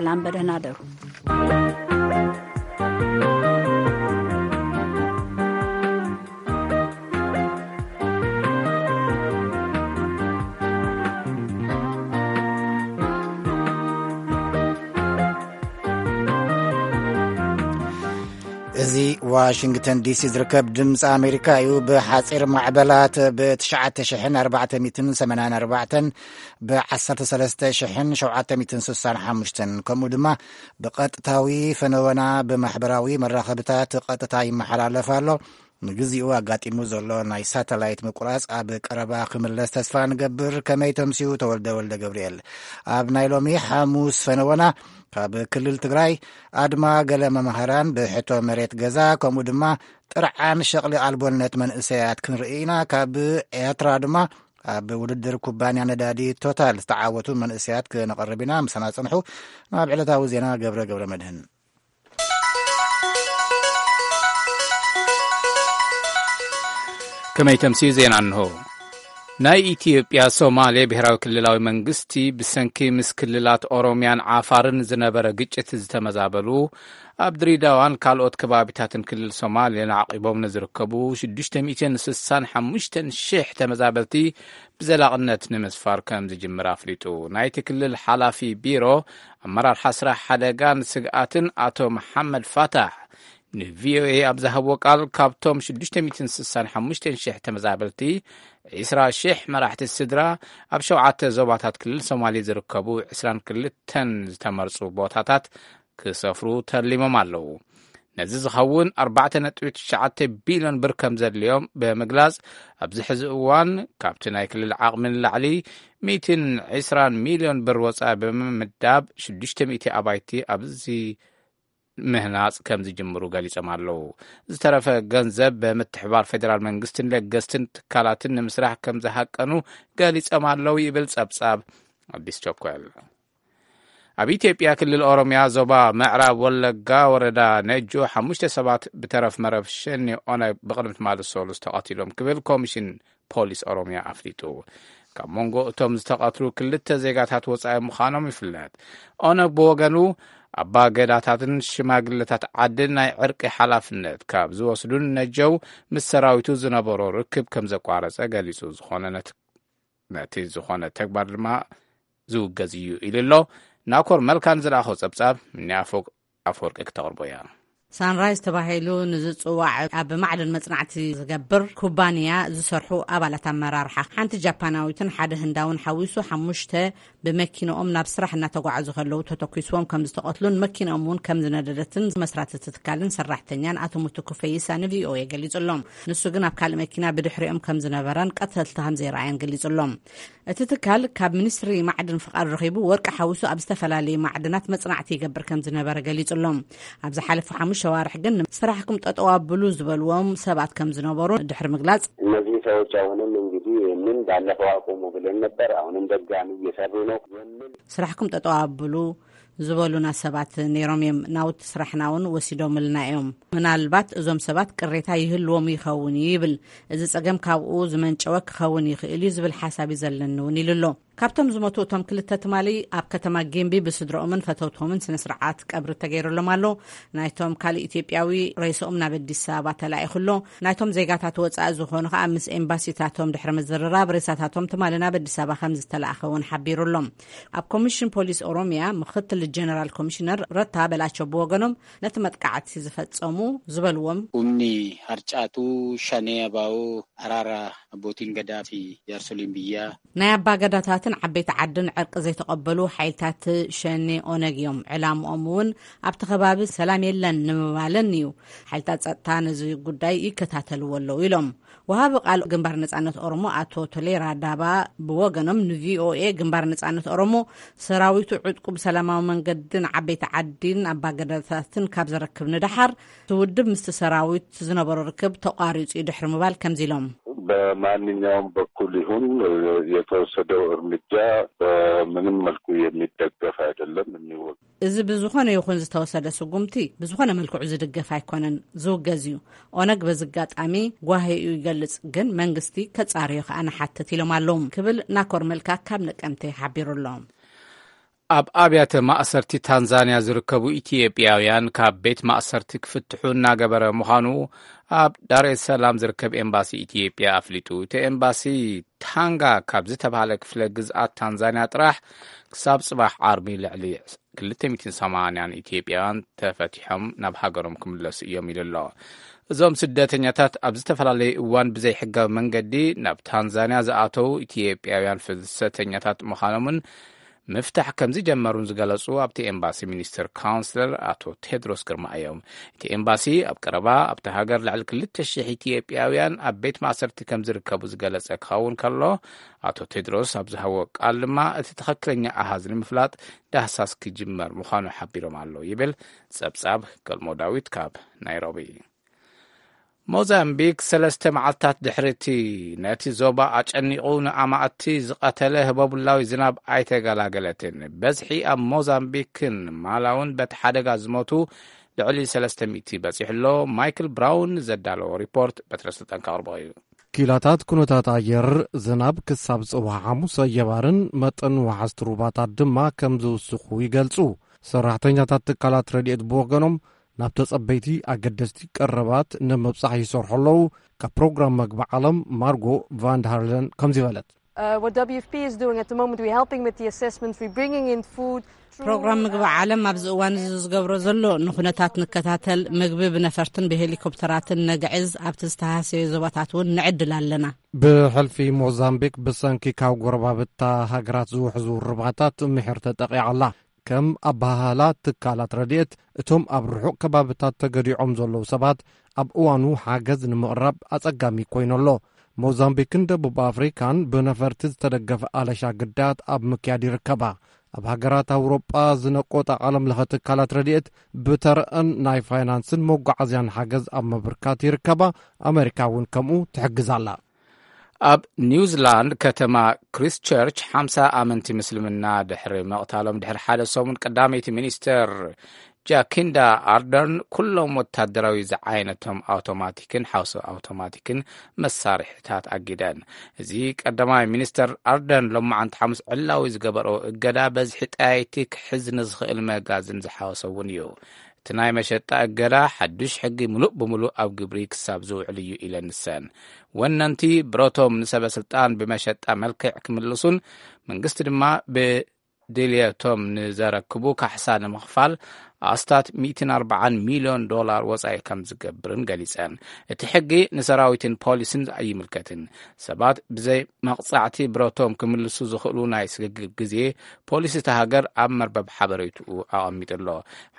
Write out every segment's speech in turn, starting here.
ሰላም፣ በደህና ደሩ። እዚ ዋሽንግተን ዲሲ ዝርከብ ድምፂ ኣሜሪካ እዩ። ብሓፂር ማዕበላት ብ ትሽዓተ ሽሕን ኣርባዕተ ሚእትን ሰማንያን ኣርባዕተን፣ ብ ዓሰርተ ሰለስተ ሽሕን ሸውዓተ ሚእትን ስሳን ሓሙሽተን፣ ከምኡ ድማ ብቐጥታዊ ፈነወና ብማሕበራዊ መራኸብታት ቀጥታ ይመሓላለፍ ኣሎ። ንግዚኡ ኣጋጢሙ ዘሎ ናይ ሳተላይት ምቁራጽ ኣብ ቀረባ ክምለስ ተስፋ ንገብር። ከመይ ተምስዩ? ተወልደ ወልደ ገብርኤል። ኣብ ናይ ሎሚ ሓሙስ ፈነወና፣ ካብ ክልል ትግራይ ኣድማ ገለ መምህራን ብሕቶ መሬት ገዛ፣ ከምኡ ድማ ጥርዓን ሸቕሊ ኣልቦነት መንእሰያት ክንርኢ ኢና። ካብ ኤርትራ ድማ ኣብ ውድድር ኩባንያ ነዳዲ ቶታል ዝተዓወቱ መንእሰያት ክነቕርብ ኢና። ምሳና ጽንሑ። ናብ ዕለታዊ ዜና ገብረ ገብረ መድህን። ከመይ ተምስዩ? ዜና እንሆ። ናይ ኢትዮጵያ ሶማሌ ብሔራዊ ክልላዊ መንግስቲ ብሰንኪ ምስ ክልላት ኦሮሚያን ዓፋርን ዝነበረ ግጭት ዝተመዛበሉ፣ ኣብ ድሬዳዋን ካልኦት ከባቢታትን ክልል ሶማሌን ዓቂቦም ንዝርከቡ ሽዱሽተ ሚእትን ስሳን ሓሙሽተን ሽሕ ተመዛበልቲ ብዘላቕነት ንምስፋር ከም ዝጅምር ኣፍሊጡ። ናይቲ ክልል ሓላፊ ቢሮ ኣመራርሓ ስራሕ ሓደጋን ስግኣትን ኣቶ መሓመድ ፋታሕ ንቪኦኤ ኣብ ዝሃብዎ ቃል፣ ካብቶም ሽዱሽተ ሚእትን ስሳን ሓሙሽተን ሽሕ ተመዛበልቲ፣ ዒስራ ሽሕ መራሕቲ ስድራ ኣብ ሸውዓተ ዞባታት ክልል ሶማሌ ዝርከቡ ዒስራን ክልተን ዝተመርጹ ቦታታት ክሰፍሩ ተሊሞም ኣለዉ። ነዚ ዝኸውን ኣርባዕተ ነጥቢ ትሽዓተ ቢልዮን ብር ከም ዘድልዮም ብምግላጽ፣ ኣብዚ ሕዚ እዋን ካብቲ ናይ ክልል ዓቕሚ ንላዕሊ ሚእትን ዒስራን ሚልዮን ብር ወጻኢ ብምምዳብ፣ ሽዱሽተ ሚእቲ ኣባይቲ ኣብዚ ምህናጽ ከም ዝጅምሩ ገሊጾም ኣለዉ። ዝተረፈ ገንዘብ ብምትሕባር ፌደራል መንግስትን ለገስትን ትካላትን ንምስራሕ ከም ዝሃቀኑ ገሊጾም ኣለዉ ይብል ጸብጻብ ኣዲስ ቸኮል። ኣብ ኢትዮጵያ ክልል ኦሮሚያ ዞባ ምዕራብ ወለጋ ወረዳ ነጆ ሓሙሽተ ሰባት ብተረፍ መረብ ሸኔ ኦነግ ብቕድሚ ትማሊ ሰሉስ ተቐቲሎም ክብል ኮሚሽን ፖሊስ ኦሮሚያ ኣፍሊጡ። ካብ መንጎ እቶም ዝተቐትሉ ክልተ ዜጋታት ወጻኢ ምዃኖም ይፍለጥ። ኦነግ ብወገኑ፣ ኣባ ገዳታትን ሽማግለታት ዓድን ናይ ዕርቂ ሓላፍነት ካብ ዝወስዱን ነጀው ምስ ሰራዊቱ ዝነበሮ ርክብ ከም ዘቋረጸ ገሊጹ። ዝኾነ ነት-፣ ነቲ ዝኾነ ተግባር ድማ ዝውገዝ እዩ ኢሉ ኣሎ። ናኮር መልካን ዝለኣኾ ጸብጻብ፣ ምኒ ኣፎ-፣ ኣፈወርቂ ክተቕርቦ እያ። ሳንራይዝ ተባሂሉ ንዝጽዋዕ ኣብ ማዕድን መጽናዕቲ ዝገብር ኩባንያ ዝሰርሑ ኣባላት ኣመራርሓ፣ ሓንቲ ጃፓናዊትን ሓደ ህንዳውን ሓዊሱ ሓሙሽተ፣ ብመኪንኦም ናብ ስራሕ እናተጓዓዙ ከለዉ ተተኲስዎም ከም ዝተቐትሉን መኪንኦም እውን ከም ዝነደደትን መስራቲ እቲ ትካልን ሰራሕተኛን ኣቶ ሙቱኩ ፈይሳ ንቪኦኤ ገሊጹ ኣሎ። ንሱ ግን ኣብ ካልእ መኪና ብድሕሪኦም ከም ዝነበረን ቀተልቲ ከም ዘይረኣየን ገሊጹ ኣሎ። እቲ ትካል ካብ ሚኒስትሪ ማዕድን ፍቓድ ረኺቡ ወርቂ ሓዊሱ ኣብ ዝተፈላለዩ ማዕድናት መጽናዕቲ ይገብር ከም ዝነበረ ገሊጹ ኣሎ። ኣብ ዝሓለፉ ሓሙሽተ ኣዋርሕ ግን ስራሕኩም ጠጠው ኣብሉ ዝበልዎም ሰባት ከም ዝነበሩ ድሕሪ ምግላጽ፣ እነዚህ ሰዎች አሁንም እንግዲህ ይህንን ባለፈው አቁሙ ብለን ነበር፣ አሁንም ደጋሚ እየሰሩ ነው የሚል ስራሕኩም ጠጠው ኣብሉ ዝበሉና ሰባት ነይሮም እዮም። ናውቲ ስራሕና እውን ወሲዶምልና እዮም። ምናልባት እዞም ሰባት ቅሬታ ይህልዎም ይኸውን እዩ ይብል። እዚ ጸገም ካብኡ ዝመንጨወ ክኸውን ይኽእል እዩ ዝብል ሓሳብ እዩ ዘለኒ እውን ኢሉ ኣሎ። ካብቶም ዝሞቱ እቶም ክልተ ትማሊ ኣብ ከተማ ጌምቢ ብስድረኦምን ፈተውቶምን ስነ ስርዓት ቀብሪ ተገይሩሎም ኣሎ። ናይቶም ካልእ ኢትዮጵያዊ ሬስኦም ናብ ኣዲስ ኣበባ ተላኢኹ ኣሎ። ናይቶም ዜጋታት ወጻኢ ዝኾኑ ከኣ ምስ ኤምባሲታቶም ድሕሪ ምዝርራብ ሬሳታቶም ትማሊ ናብ ኣዲስ ኣበባ ከም ዝተላእኸ እውን ሓቢሩ ኣሎ። ኣብ ኮሚሽን ፖሊስ ኦሮሚያ ምክትል ጀነራል ኮሚሽነር ረታ በላቸው ብወገኖም ነቲ መጥቃዕቲ ዝፈጸሙ ዝበልዎም፣ humni harcaatu shanee abaa'oo araara abbootiin gadaa fi jaarsoliin biyyaa ናይ ኣባገዳታትን ዓበይቲ ዓድን ዕርቂ ዘይተቐበሉ ሓይልታት ሸኔ ኦነግ እዮም። ዕላምኦም እውን ኣብቲ ከባቢ ሰላም የለን ንምባልን እዩ። ሓይልታት ጸጥታ ነዚ ጉዳይ ይከታተልዎ ኣለዉ ኢሎም። ወሃቢ ቃል ግንባር ነጻነት ኦሮሞ ኣቶ ቶሌራ ዳባ ብወገኖም ንቪኦኤ፣ ግንባር ነጻነት ኦሮሞ ሰራዊቱ ዕጥቁ ብሰላማዊ መንገድን ዓበይቲ ዓዲን ኣባገዳታትን ካብ ዘረክብ ንደሓር እቲ ውድብ ምስቲ ሰራዊት ዝነበሮ ርክብ ተቋሪጹ እዩ ድሕሪ ምባል ከምዚ ኢሎም። በማንኛውም በኩል ይሁን የተወሰደው እርምጃ በምንም መልኩ የሚደገፍ አይደለም፣ የሚወገዝ። እዚ ብዝኾነ ይኹን ዝተወሰደ ስጉምቲ ብዝኾነ መልክዑ ዝድገፍ ኣይኮነን፣ ዝውገዝ እዩ። ኦነግ በዚ ኣጋጣሚ ጓሄኡ ይገልጽ፣ ግን መንግስቲ ከጻርዮ ከኣ ንሓትት ኢሎም ኣለዉ ክብል ናኮር መልካ ካብ ነቀምቴ ሓቢሩ ኣሎ። ኣብ ኣብያተ ማእሰርቲ ታንዛንያ ዝርከቡ ኢትዮጵያውያን ካብ ቤት ማእሰርቲ ክፍትሑ እናገበረ ምዃኑ ኣብ ዳሬ ሰላም ዝርከብ ኤምባሲ ኢትዮጵያ ኣፍሊጡ። እቲ ኤምባሲ ታንጋ ካብ ዝተባህለ ክፍለ ግዝኣት ታንዛንያ ጥራሕ ክሳብ ጽባሕ ዓርቢ ልዕሊ ክልተ ሚእትን ሰማንያን ኢትዮጵያውያን ተፈቲሖም ናብ ሃገሮም ክምለሱ እዮም ኢሉ ኣሎ። እዞም ስደተኛታት ኣብ ዝተፈላለየ እዋን ብዘይሕጋዊ መንገዲ ናብ ታንዛንያ ዝኣተዉ ኢትዮጵያውያን ፍልሰተኛታት ምዃኖምን ምፍታሕ ከም ዝጀመሩን ዝገለጹ ኣብቲ ኤምባሲ ሚኒስትር ካውንስለር ኣቶ ቴድሮስ ግርማ እዮም። እቲ ኤምባሲ ኣብ ቀረባ ኣብቲ ሃገር ልዕሊ ክልተ ሽሕ ኢትዮጵያውያን ኣብ ቤት ማእሰርቲ ከም ዝርከቡ ዝገለጸ ክኸውን ከሎ፣ ኣቶ ቴድሮስ ኣብ ዝሃቦ ቃል ድማ እቲ ትኽክለኛ ኣሃዝ ንምፍላጥ ዳህሳስ ክጅመር ምዃኑ ሓቢሮም ኣለዉ ይብል ጸብጻብ ገልሞ ዳዊት ካብ ናይሮቢ። ሞዛምቢክ ሰለስተ መዓልታት ድሕሪ እቲ ነቲ ዞባ ኣጨኒቑ ንኣማእቲ ዝቐተለ ህቦቡላዊ ዝናብ ኣይተገላገለትን። በዝሒ ኣብ ሞዛምቢክን ማላውን በቲ ሓደጋ ዝሞቱ ልዕሊ ሰለስተ ሚእቲ በጺሑ ኣሎ። ማይክል ብራውን ዘዳለዎ ሪፖርት በትረ ስልጣን ከቕርቦ እዩ። ኪላታት ኩነታት ኣየር ዝናብ ክሳብ ጽባሕ ሓሙስ ኣየባርን መጠን ወሓዝቲ ሩባታት ድማ ከም ዝውስኹ ይገልጹ። ሰራሕተኛታት ትካላት ረድኤት ብወገኖም ናብ ተጸበይቲ ኣገደስቲ ቀረባት ንምብጻሕ ይሰርሑ ኣለዉ። ካብ ፕሮግራም መግቢ ዓለም ማርጎ ቫንድሃርለን ከምዚ በለት። Uh, what W F P is doing at the moment, we're helping with the assessments, we're bringing in food through, ፕሮግራም ምግቢ uh, ዓለም ኣብዚ እዋን እዚ ዝገብሮ ዘሎ ንኩነታት ንከታተል፣ ምግቢ ብነፈርትን ብሄሊኮፕተራትን ነግዕዝ፣ ኣብቲ ዝተሃሰየ ዞባታት እውን ንዕድል ኣለና። ብሕልፊ ሞዛምቢክ ብሰንኪ ካብ ጎረባብታ ሃገራት ዝውሕዙ ርባታት ምሒር ተጠቂዓ ኣላ። ከም ኣበሃህላ ትካላት ረድኤት፣ እቶም ኣብ ርሑቕ ከባብታት ተገዲዖም ዘለዉ ሰባት ኣብ እዋኑ ሓገዝ ንምቕራብ ኣጸጋሚ ኮይኑ ኣሎ። ሞዛምቢክን ደቡብ ኣፍሪካን ብነፈርቲ ዝተደገፈ ኣለሻ ግዳያት ኣብ ምክያድ ይርከባ። ኣብ ሃገራት ኣውሮጳ ዝነቆጣ ዓለም ለኸ ትካላት ረድኤት ብተረአን ናይ ፋይናንስን መጓዓዝያን ሓገዝ ኣብ ምብርካት ይርከባ። ኣመሪካ እውን ከምኡ ትሕግዝ ኣላ። ኣብ ኒውዚላንድ ከተማ ክሪስትቸርች ሓምሳ ኣመንቲ ምስልምና ድሕሪ ምቕታሎም ድሕሪ ሓደ ሰሙን፣ ቀዳመይቲ ሚኒስተር ጃኪንዳ ኣርደርን ኩሎም ወታደራዊ ዝዓይነቶም ኣውቶማቲክን ሓውሲ ኣውቶማቲክን መሳርሒታት ኣጊደን። እዚ ቀዳማይ ሚኒስተር ኣርደርን ሎማዓንቲ ሓሙስ ዕላዊ ዝገበሮ እገዳ በዝሒ ጠያይቲ ክሕዝ ንዝኽእል መጋዝን ዝሓወሰ እውን እዩ። እቲ ናይ መሸጣ እገዳ ሓዱሽ ሕጊ ምሉእ ብምሉእ ኣብ ግብሪ ክሳብ ዝውዕል እዩ ኢለን ንሰን። ወነንቲ ብረቶም ንሰበ ስልጣን ብመሸጣ መልክዕ ክምልሱን መንግስቲ ድማ ብድልየቶም ንዘረክቡ ካሕሳ ንምኽፋል ኣስታት ሚእትን ኣርባዓን ሚልዮን ዶላር ወጻኢ ከም ዝገብርን ገሊጸን። እቲ ሕጊ ንሰራዊትን ፖሊስን ኣይምልከትን። ሰባት ብዘይ መቕጻዕቲ ብረቶም ክምልሱ ዝኽእሉ ናይ ስግግር ግዜ ፖሊስ እታ ሃገር ኣብ መርበብ ሓበሬትኡ ኣቐሚጡ ኣሎ።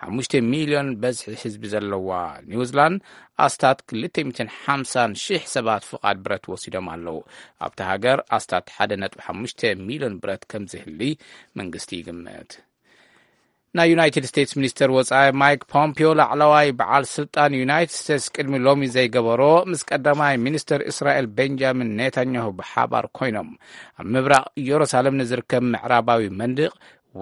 ሓሙሽተ ሚልዮን በዝሒ ህዝቢ ዘለዋ ኒውዚላንድ ኣስታት ክልተ ሚእትን ሓምሳን ሽሕ ሰባት ፍቓድ ብረት ወሲዶም ኣለዉ። ኣብታ ሃገር ኣስታት ሓደ ነጥቢ ሓሙሽተ ሚልዮን ብረት ከም ዝህሊ መንግስቲ ይግምት። ናይ ዩናይትድ ስቴትስ ሚኒስተር ወጻኢ ማይክ ፖምፒዮ ላዕለዋይ በዓል ስልጣን ዩናይትድ ስቴትስ ቅድሚ ሎሚ ዘይገበሮ ምስ ቀዳማይ ሚኒስተር እስራኤል ቤንጃሚን ኔታንያሁ ብሓባር ኮይኖም ኣብ ምብራቕ ኢየሩሳሌም ንዝርከብ ምዕራባዊ መንድቕ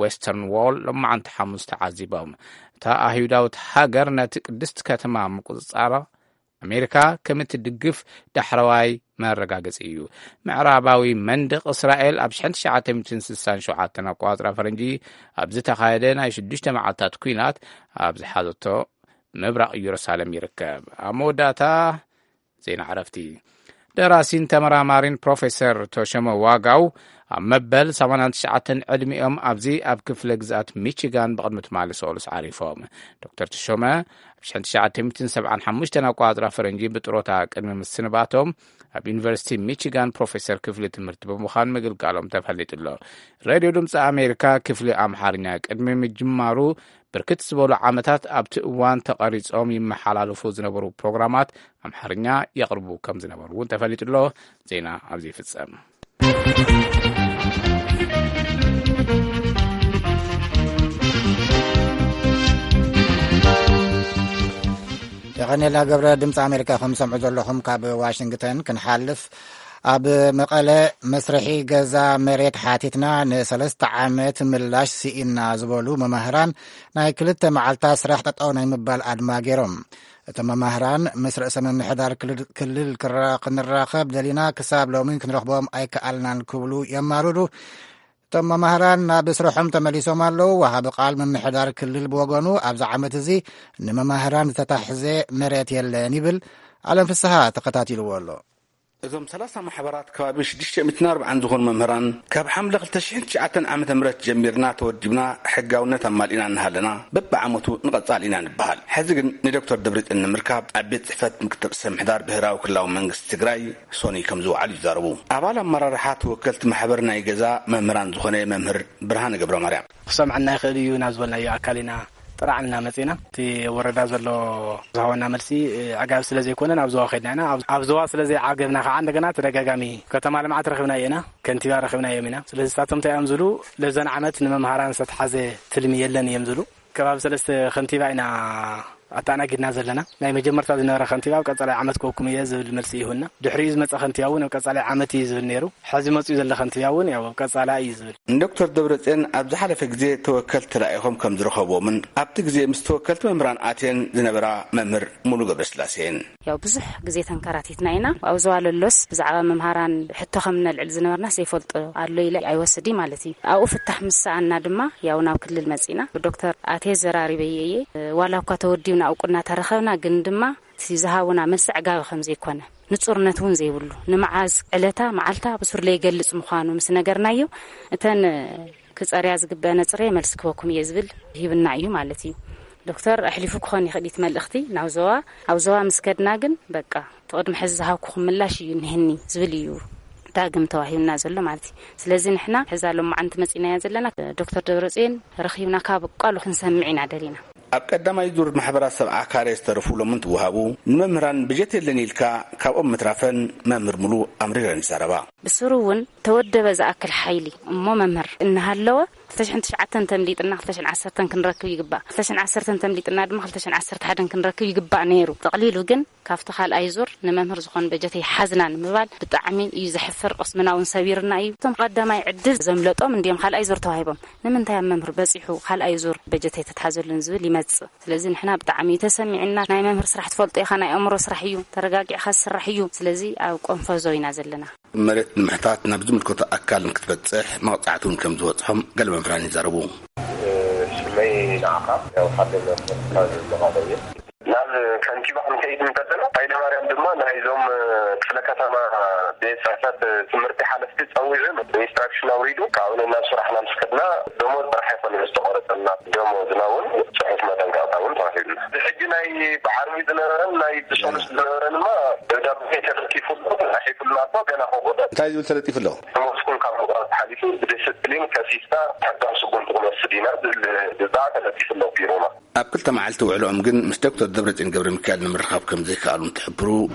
ዌስተርን ዎል ሎማዓንቲ ሓሙስ ተዓዚቦም። እታ ኣይሁዳዊት ሃገር ነቲ ቅድስቲ ከተማ ምቁጽጻራ ኣሜሪካ ከም እትድግፍ ዳሕረዋይ መረጋገጺ እዩ። ምዕራባዊ መንደቕ እስራኤል ኣብ ሽሕን ትሽዓተ ሚእትን ስሳን ሸውዓተን ኣቆጻጽራ ፈረንጂ ኣብ ዝተኻየደ ናይ ሽዱሽተ መዓልታት ኲናት ኣብ ዝሓዘቶ ምብራቕ ኢየሩሳሌም ይርከብ። ኣብ መወዳእታ ዜና ዕረፍቲ። ደራሲን ተመራማሪን ፕሮፌሰር ቶሸመ ዋጋው ኣብ መበል ሰማንያን ትሽዓተን ዕድሚኦም ኣብዚ ኣብ ክፍለ ግዝኣት ሚቺጋን ብቕድሚ ትማሊ ሰሉስ ዓሪፎም። ዶክተር ተሾመ ኣብ ሽሕን ትሽዓተ ሚእትን ሰብዓን ሓሙሽተን ኣቆጻጽራ ፈረንጂ ብጥሮታ ቅድሚ ምስንባቶም ኣብ ዩኒቨርሲቲ ሚቺጋን ፕሮፌሰር ክፍሊ ትምህርቲ ብምዃን ምግልጋሎም ተፈሊጡ ኣሎ። ሬድዮ ድምፂ ኣሜሪካ ክፍሊ ኣምሓርኛ ቅድሚ ምጅማሩ ብርክት ዝበሉ ዓመታት ኣብቲ እዋን ተቐሪጾም ይመሓላለፉ ዝነበሩ ፕሮግራማት ኣምሓርኛ የቕርቡ ከም ዝነበሩ እውን ተፈሊጡ ኣሎ። ዜና ኣብዚ ይፍጸም። የቐኔልና ገብረ። ድምፂ ኣሜሪካ ከም ሰምዑ ዘለኹም ካብ ዋሽንግተን ክንሓልፍ። ኣብ መቐለ መስርሒ ገዛ መሬት ሓቲትና ንሰለስተ ዓመት ምላሽ ስኢና ዝበሉ መማህራን ናይ ክልተ መዓልታት ስራሕ ጠጠው ናይ ምባል ኣድማ ገይሮም። እቶም መማህራን ምስ ርእሰ ምምሕዳር ክልል ክልል ክራ- ክንራኸብ ደሊና ክሳብ ሎሚ ክንረኽቦም ኣይከኣልናን ክብሉ የማርሩ። እቶም መማህራን ናብ ስርሖም ተመሊሶም ኣለዉ። ወሃቢ ቃል ምምሕዳር ክልል ብወገኑ፣ ኣብዚ ዓመት እዚ ንመማህራን ዝተታሕዘ መሬት የለን ይብል። ኣለም ፍስሃ ተኸታቲልዎ ኣሎ። እዞም ሰላሳ ማሕበራት ከባቢ ሽዱሽተ ሚእትን ኣርባዓን ዝኾኑ መምህራን፣ ካብ ሓምለ ክልተ ሽሕን ትሽዓተን ዓመተ ምህረት ጀሚርና ተወዲብና፣ ሕጋውነት ኣማሊእና እናሃለና፣ በብዓመቱ ንቐጻል ኢና ንበሃል። ሕዚ ግን ንዶክተር ደብረጽዮን ንምርካብ ኣብ ቤት ጽሕፈት ምክትል ርእሰ ምሕዳር ብሄራዊ ክልላዊ መንግስቲ ትግራይ ሶኒ ከም ዝወዓሉ ይዛረቡ። ኣባል ኣመራርሓ ተወከልቲ ማሕበር ናይ ገዛ መምህራን ዝኾነ መምህር ብርሃነ ገብረ ማርያም። ክሰምዐና ይኽእል እዩ ናብ ዝበልናዮ ኣካል ኢና ጥራዕ ኢልና መጺና። እቲ ወረዳ ዘሎ ዝሃበና መልሲ፣ እ፣ ኣዕጋቢ ስለ ዘይኮነ ናብ ዞባ ከድና ኢና። ኣብ፣ ኣብ ዞባ ስለ ዘይዓገብና ከዓ እንደገና ተደጋጋሚ ከተማ ልምዓት ረኺብናዮ ኢና፣ ከንቲባ ረኺብናዮም ኢና። ስለዚ ንሳቶም እንታይ እዮም ዝብሉ፣ ለዘን ዓመት ንመምሃራን ዝተትሓዘ ትልሚ የለን እዮም ዝብሉ። ከባቢ ሰለስተ ከንቲባ ኢና ኣተኣናጊድና ዘለና። ናይ መጀመርታ ዝነበረ ከንቲባ ኣብ ቀጻላይ ዓመት ክወኩም እየ ዝብል መልሲ ይሁና። ድሕሪኡ ዝመጸ ከንቲባ እውን ኣብ ቀጻላይ ዓመት እዩ ዝብል ነይሩ። ሕዚ መጽኡ ዘሎ ከንቲባ እውን ያው ኣብ ቀጻላይ እዩ ዝብል። ንዶክተር ደብረጽዮን ኣብ ዝሓለፈ ግዜ ተወከልቲ ተላኢኾም ከም ዝረኸብዎምን ኣብቲ ግዜ ምስ ተወከልቲ መምህራን ኣትየን ዝነበራ መምህር ሙሉ ገብረስላሴን። ያው ብዙሕ ግዜ ተንከራቲትና ኢና። ኣብ ዞባ ለሎስ ብዛዕባ መምሃራን ሕቶ ከም ነልዕል ዝነበርና ዘይፈልጦ ኣሎ ኢለ ኣይወስድ ማለት እዩ። ኣብኡ ፍታሕ ምስ ሰኣና ድማ ያው ናብ ክልል መጺና። ብዶክተር ኣቴ ዘራሪበየ እየ። ዋላ እኳ ተወዲብና እውቅና ተረኸብና፣ ግን ድማ እቲ ዝሃቡና መልሲ ኣዕጋቢ ከም ዘይኮነ፣ ንጹርነት እውን ዘይብሉ፣ ንመዓዝ ዕለታ መዓልታ ብሱር ለይገልጽ ምዃኑ ምስ ነገርናዮ፣ እተን ክጸርያ ዝግበአነ ጽሬ መልሲ ክበኩም እየ ዝብል ሂብና እዩ ማለት እዩ። ዶክተር ኣሕሊፉ ክኾን ይኽእል እቲ መልእኽቲ ናብ ዞባ። ኣብ ዞባ ምስ ከድና ግን በቃ እቲ ቅድሚ ሕዚ ዝሃብኩኹም ምላሽ እዩ እኒህኒ ዝብል እዩ ዳግም ተዋሂብና ዘሎ ማለት እዩ። ስለዚ ንሕና ሕዛ ሎማዓንቲ መጺናያ ዘለና ዶክተር ደብረጽዮን ረኺብና ካብ ቃሉ ክንሰምዕ ኢና ደሊና። ኣብ ቀዳማይ ዙር ማሕበራት ሰብዓ ካሬ ዝተረፉ ሎምን ትወሃቡ ንመምህራን በጀት የለን ኢልካ ካብኦም ምትራፈን መምህር ሙሉ ኣምሪረን ይዛረባ። ብስሩ እውን ተወደበ ዝኣክል ሓይሊ እሞ መምህር እናሃለወ ክልተ ሽሕን ትሽዓተን ተምሊጥና ክልተ ሽሕን ዓሰርተን ክንረክብ ይግባእ፣ ክልተ ሽሕን ዓሰርተን ተምሊጥና ድማ ክልተ ሽሕን ዓሰርተ ሓደን ክንረክብ ይግባእ ነይሩ። ጠቕሊሉ ግን ካብቲ ካልኣይ ዙር ንመምህር ዝኾን በጀት ኣይሓዝናን ምባል ብጣዕሚ እዩ ዘሕፍር። ቅስምና እውን ሰቢርና እዩ። እቶም ቀዳማይ ዕድል ዘምለጦም እንዲዮም ካልኣይ ዙር ተዋሂቦም። ንምንታይ ኣብ መምህር በጺሑ ካልኣይ ዙር በጀት ኣይተትሓዘሉን ዝብል ይመጽእ። ስለዚ ንሕና ብጣዕሚ እዩ ተሰሚዕና። ናይ መምህር ስራሕ ትፈልጦ ኢኻ፣ ናይ ኣእምሮ ስራሕ እዩ፣ ተረጋጊዕካ ዝስራሕ እዩ። ስለዚ ኣብ ቆንፈዞ ኢና ዘለና። መሬት ንምሕታት ናብ ዝምልከቶ ኣካል ንክትበጽሕ መቕጻዕቲ እውን ከም ዝበጽሖም ገለ መምህራን ይዛረቡ። ስመይ ንዓኻ ያው ሓደ መምህር ካብ መቐለ እየ። ናብ ከንቲባ ክንከይድ እንከለና፣ ሃይለማርያም ድማ ናይዞም ክፍለ ከተማ ቤት ጽሕፈት ትምህርቲ ሓለፍቲ ጸዊዑ ኢንስትራክሽን ኣውሪዱ፣ ካብኡ ናብ ስራሕና ምስ ከድና ደሞዝ ጥራሕ ኣይኮነን ዝተቆረጸና፣ ደሞዝና እውን ጽሑፍ መጠንቀቕታ እውን ተዋሂብና። ብሕጂ ናይ ብዓርቢ ዝነበረን ናይ ብሰሉስ ዝነበረን ድማ ደብዳቤ ተለጢፉ ኣሎ፣ ተጻሒፉልና ኣሎ፣ ገና ከብኡ እንታይ ዝብል ተለጢፉ ኣሎ? ደሞዝኩም ካብ ምቑራጽ ሓሊፉ ብዲስፕሊን ከሲስና ሕጋዊ ስጉምቲ ክንወስድ ኢና ዝብል ብዛዕባ ተለጢፉ ኣሎ ቢሮና። ኣብ ክልተ መዓልቲ ውዕሎኦም ግን ምስ ዶክተር ደብረጽዮን ገብረ ሚካኤል ንምርኻብ ከም ዘይከኣሉ እንትሕብሩ፣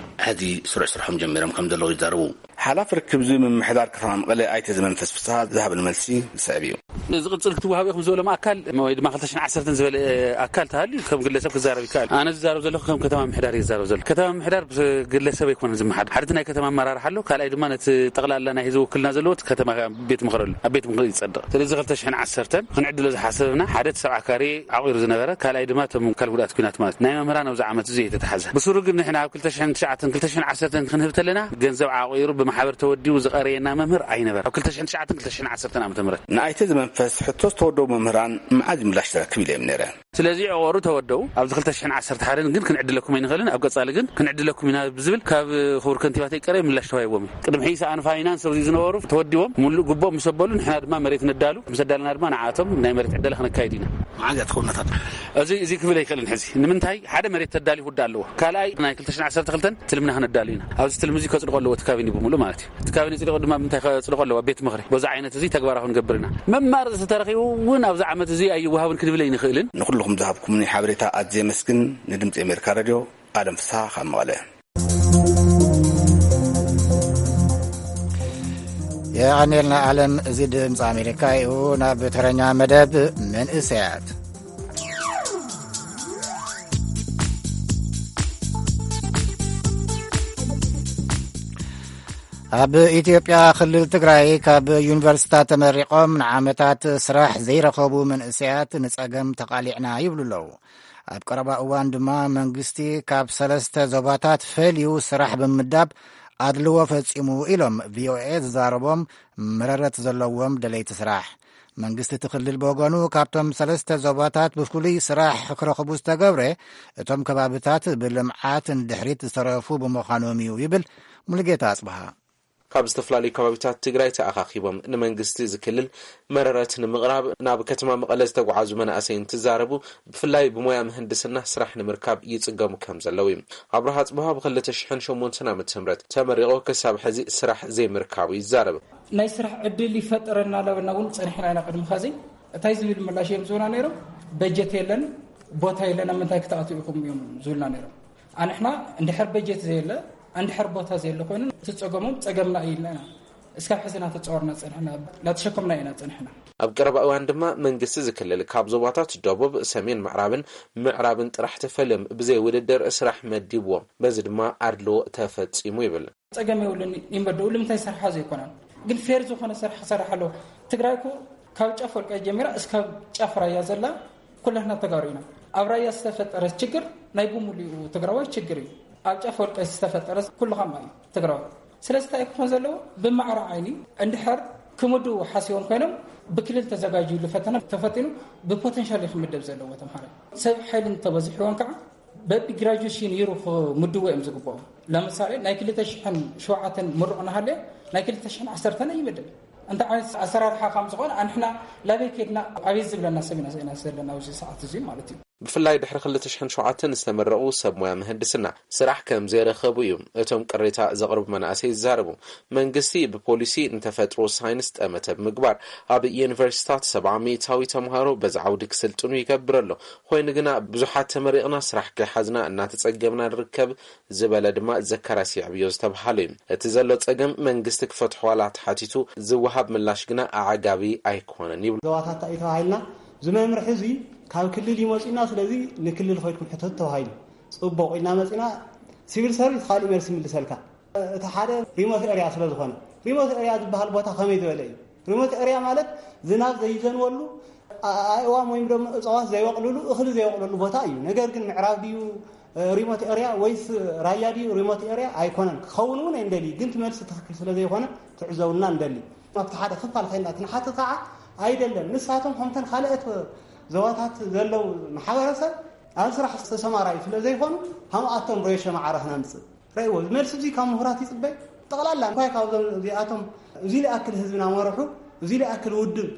ሕዚ ስሩዕ ስርሖም ጀሚሮም ከም ዘለዉ ይዛረቡ። ሓላፊ ርክብ ህዝቢ ምምሕዳር ከተማ መቐለ ኣይተ ዘመንፈስ ፍስሃ ዝሃብን መልሲ ዝስዕብ እዩ። ዝቕጽል ክትወሃቡ ኢኹም ዝበሎም ኣካል ወይ ድማ ክልተ ሽሕን ዓሰርተን ዝበለ ኣካል ተሃልዩ ከም ግለሰብ ክዛረብ ይከኣል። ኣነ ዝዛረብ ዘለኹ ከም ከተማ ምምሕዳር እየ ዝዛረብ ዘለኹ። ከተማ ምምሕዳር ብግለሰብ ኣይኮነን ዝመሓደር። ሓደ እቲ ናይ ከተማ ኣመራርሓ ኣሎ፣ ካልኣይ ድማ ነቲ ጠቕላላ ናይ ህዝቢ ውክልና ዘለዎ እቲ ከተማ ቤት ምኽሪ ኣሎ፣ ኣብ ቤት ምኽሪ ይጸድቕ። ስለዚ ክልተ ሽሕን ዓሰርተን ክንዕድሎ ዝሓሰብና ሓደ እቲ ሰብዓ ካሬ ዓቒሩ ዝነበረ፣ ካልኣይ ድማ እቶም ኣካል ጉድኣት ኲናት ማለት ናይ መምህራን ኣብዚ ዓመት እዚ የተተሓዘ። ብስሩ ግን ንሕና ኣብ ክልተ ሽሕን ትሽዓተን ክልተ ሽሕን ዓሰርተን ክንህብ ተለና ገንዘብ ዓቒሩ ብማሕበር ተወዲቡ ዝቐረየና መምህር ኣይነበረ። ኣብ ክልተ ሽሕን ትሽዓተን ክልተ ሽሕን ዓሰርተን ዓመተ ምህረት ንኣይተ ዝመንፈስ ሕቶ ዝተወደቡ መምህራን መዓዝ ምላሽ ትረክብ ኢለ እዮም ነይረ። ስለዚ ዕቑሩ ተወደቡ። ኣብዚ ክልተ ሽሕን ዓሰርተ ሓደን ግን ክንዕድለኩም ኣይንኽእልን፣ ኣብ ቀጻሊ ግን ክንዕድለኩም ኢና ብዝብል ካብ ክቡር ከንቲባ ተይቀረየ ምላሽ ተዋሂቦም እዩ። ቅድሚ ሕጂ ሰኣን ፋይናንስ ኣብዚ ዝነበሩ ተወዲቦም ሙሉእ ግቦም ምስ ኣበሉ ንሕና ድማ መሬት ነዳሉ፣ ምስ ኣዳለና ድማ ንዓቶም ናይ መሬት ዕደላ ክነካይድ ኢና። መዓዝ እያ ትኸውን እታ ጥራሕ? እዚ፣ እዚ ክብል ኣይክእልን ሕዚ። ንምንታይ? ሓደ መሬት ተዳሊ ክውዳእ ኣለዎ። ካልኣይ ናይ ክልተ ሽሕን ዓሰርተ ክልተን ትልምና ክነዳሉ ኢና። ኣብዚ ትልሚ እዚ ከጽድቆ ኣለዎ እቲ ካቢኔ ብምሉእ ማለት እዩ። እቲ ካቢኔ ጽዲቑ ድማ ብምንታይ ከጽድቆ ኣለዎ? ቤት ምኽሪ። በዚ ዓይነት እዚ ተግባራዊ ክንገብር ኢና። መማረፂ ተረኺቡ እውን ኣብዚ ዓመት እዚ ኣይወሃብን ክንብል ኣይንኽእልን። ንኹልኹም ዝሃብኩምኒ ሓበሬታ ኣዝየ የመስግን። ንድምፂ ኣሜሪካ ሬድዮ ኣለም ፍስሃ ካብ መቐለ። የቐኔልና ኣለም። እዚ ድምፂ ኣሜሪካ እዩ። ናብ ተረኛ መደብ መንእሰያት። ኣብ ኢትዮጵያ ክልል ትግራይ ካብ ዩኒቨርሲታት ተመሪቖም ንዓመታት ስራሕ ዘይረኸቡ መንእሰያት ንጸገም ተቓሊዕና ይብሉ ኣለዉ። ኣብ ቀረባ እዋን ድማ መንግስቲ ካብ ሰለስተ ዞባታት ፈልዩ ስራሕ ብምምዳብ ኣድልዎ ፈጺሙ ኢሎም ቪኦኤ ዝዛረቦም መረረት ዘለዎም ደለይቲ ስራሕ። መንግስቲ እቲ ክልል ብወገኑ ካብቶም ሰለስተ ዞባታት ብፍሉይ ስራሕ ክረኽቡ ዝተገብረ እቶም ከባብታት ብልምዓት ንድሕሪት ዝተረፉ ብምዃኖም እዩ ይብል ሙሉጌታ ኣጽብሃ። ካብ ዝተፈላለዩ ከባቢታት ትግራይ ተኣኻኺቦም ንመንግስቲ ዝክልል መረረት ንምቕራብ ናብ ከተማ መቐለ ዝተጓዓዙ መናእሰይ እንትዛረቡ፣ ብፍላይ ብሞያ ምህንድስና ስራሕ ንምርካብ ይጽገሙ ከም ዘለዉ እዩ። ኣብርሃ ኣጽብሃ ብ ክልተ ሽሕን ሸሞንተን ዓመተ ምህረት ተመሪቑ ክሳብ ሕዚ ስራሕ ዘይምርካቡ ይዛረብ። ናይ ስራሕ ዕድል ይፈጠረና እናበልና እውን ጸኒሕና ኢና። ቅድሚ ኸዚ እንታይ ዝብል ምላሽ እዮም ዝህቡና ነይሮም? በጀት የለን፣ ቦታ የለን፣ ኣብ ምንታይ ክትኣትዉ ኢኹም እዮም ዝብሉና ነይሮም። ኣንሕና እንድሕር በጀት ዘየለ፣ እንድሕር ቦታ ዘየለ ኮይኑ እቲ ጸገሞም ጸገምና እዩ ኢልና ኢና እስካብ ሕዚ እናተጻወርና ጸኒሕና፣ እናተሸከምና ኢና ጸኒሕና። ኣብ ቀረባ እዋን ድማ መንግስቲ ዝክልል ካብ ዞባታት ደቡብ፣ ሰሜን ምዕራብን ምዕራብን ጥራሕ ተፈልዮም ብዘይ ውድድር ስራሕ መዲብዎም፣ በዚ ድማ ኣድልዎ ተፈጺሙ ይብል። ጸገም የብሉን ይመደቡ፣ ንምንታይ ሰርሓ ዘይኮናን ግን ፌር ዝኾነ ስራሕ ክሰርሕ ኣለዎ። ትግራይ እኮ ካብ ጫፍ ወልቃይት ጀሚራ እስካብ ጫፍ ራያ ዘላ ኩላትና ተጋሩ ኢና። ኣብ ራያ ዝተፈጠረ ችግር ናይ ብሙሉኡ ትግራዋይ ችግር እዩ። ኣብ ጫፍ ወልቃይት ዝተፈጠረ ኩሉ ከማ እዩ ትግራዋይ። ስለዚ እንታይ ክኾን ዘለዎ? ብማዕረ ዓይኒ እንድሕር ክምድቡ ሓሲቦም ኮይኖም ብክልል ተዘጋጅዩሉ ፈተና ተፈቲኑ ብፖቴንሻል እዩ ክምደብ ዘለዎ ተምሃራይ። ሰብ ሓይሊ እንተበዚሕዎም ከዓ በቢ ግራጁዌሽን ይሩ ክምድቡ እዮም ዝግብኦም። ለምሳሌ ናይ ክልተ ሽሕን ሸውዓተን ምሩቕ እናሃለየ ናይ ክልተ ሽሕን ዓሰርተን ኣይምደብ። እንታይ ዓይነት ኣሰራርሓ ከም ዝኾነ ኣንሕና ላበይ ከድና ኣበይ ዝብለና ሰብ ኢና ዘለና ኣብዚ ሰዓት እዚ ማለት እዩ። ብፍላይ ድሕሪ ክልተ ሽሕን ሸውዓተን ዝተመረቑ ሰብ ሞያ ምህንድስና ስራሕ ከም ዘይረኸቡ እዩ እቶም ቅሬታ ዘቕርቡ መናእሰይ ዝዛረቡ። መንግስቲ ብፖሊሲ ንተፈጥሮ ሳይንስ ጠመተ ብምግባር ኣብ ዩኒቨርሲታት ሰብዓ ሚእታዊ ተምሃሮ በዚ ዓውዲ ክስልጥኑ ይገብር ኣሎ። ኮይኑ ግና ብዙሓት ተመሪቕና ስራሕ ከይሓዝና እናተጸገምና ንርከብ ዝበለ ድማ ዘካርያስ የዕብዮ ዝተብሃሉ እዩ። እቲ ዘሎ ጸገም መንግስቲ ክፈትሖ ዋላ ተሓቲቱ ዝወሃብ ምላሽ ግና ኣዕጋቢ ኣይኮነን ይብሉ። ዞባታት እዩ ተባሂልና፣ እዚ መምርሒ እዚ ካብ ክልል ይመፅና፣ ስለዚ ንክልል ኸይድኩም ሕተቱ ተባሂሉ። ፅቡቕ ኢልና መፂና፣ ሲቪል ሰርቪስ ካሊእ መልሲ ይምልሰልካ። እቲ ሓደ ሪሞት ኤርያ ስለ ዝኾነ፣ ሪሞት ኤርያ ዝበሃል ቦታ ከመይ ዝበለ እዩ? ሪሞት ኤርያ ማለት ዝናብ ዘይዘንበሉ፣ ኣእዋም ወይም ደሞ እፅዋት ዘይበቕልሉ፣ እኽሊ ዘይበቕልሉ ቦታ እዩ። ነገር ግን ምዕራብ ድዩ ሪሞት ኤርያ ወይስ ራያ ድዩ ሪሞት ኤርያ? ኣይኮነን፣ ክኸውን እውን ኣይንደሊ። ግን እቲ መልሲ ትኽክል ስለ ዘይኮነ ትዕዘቡና ንደሊ። ኣብቲ ሓደ ክፋል ኸይና ትንሓት ከዓ ኣይደለም። ንሳቶም ከምተን ካልኦት ዞባታት ዘለዉ ማሕበረሰብ ኣብ ስራሕ ዝተሰማራዩ ስለ ዘይኮኑ፣ ከምኣቶም ሬሾ ማዕረ ክነምፅእ ረእዎ። መልሲ እዚ ካብ ምሁራት ይፅበ። ጠቕላላ እንታይ ካብዞም እዚኣቶም እዚ ልኣክል ህዝቢ ናመርሑ፣ እዚ ልኣክል ውድብ፣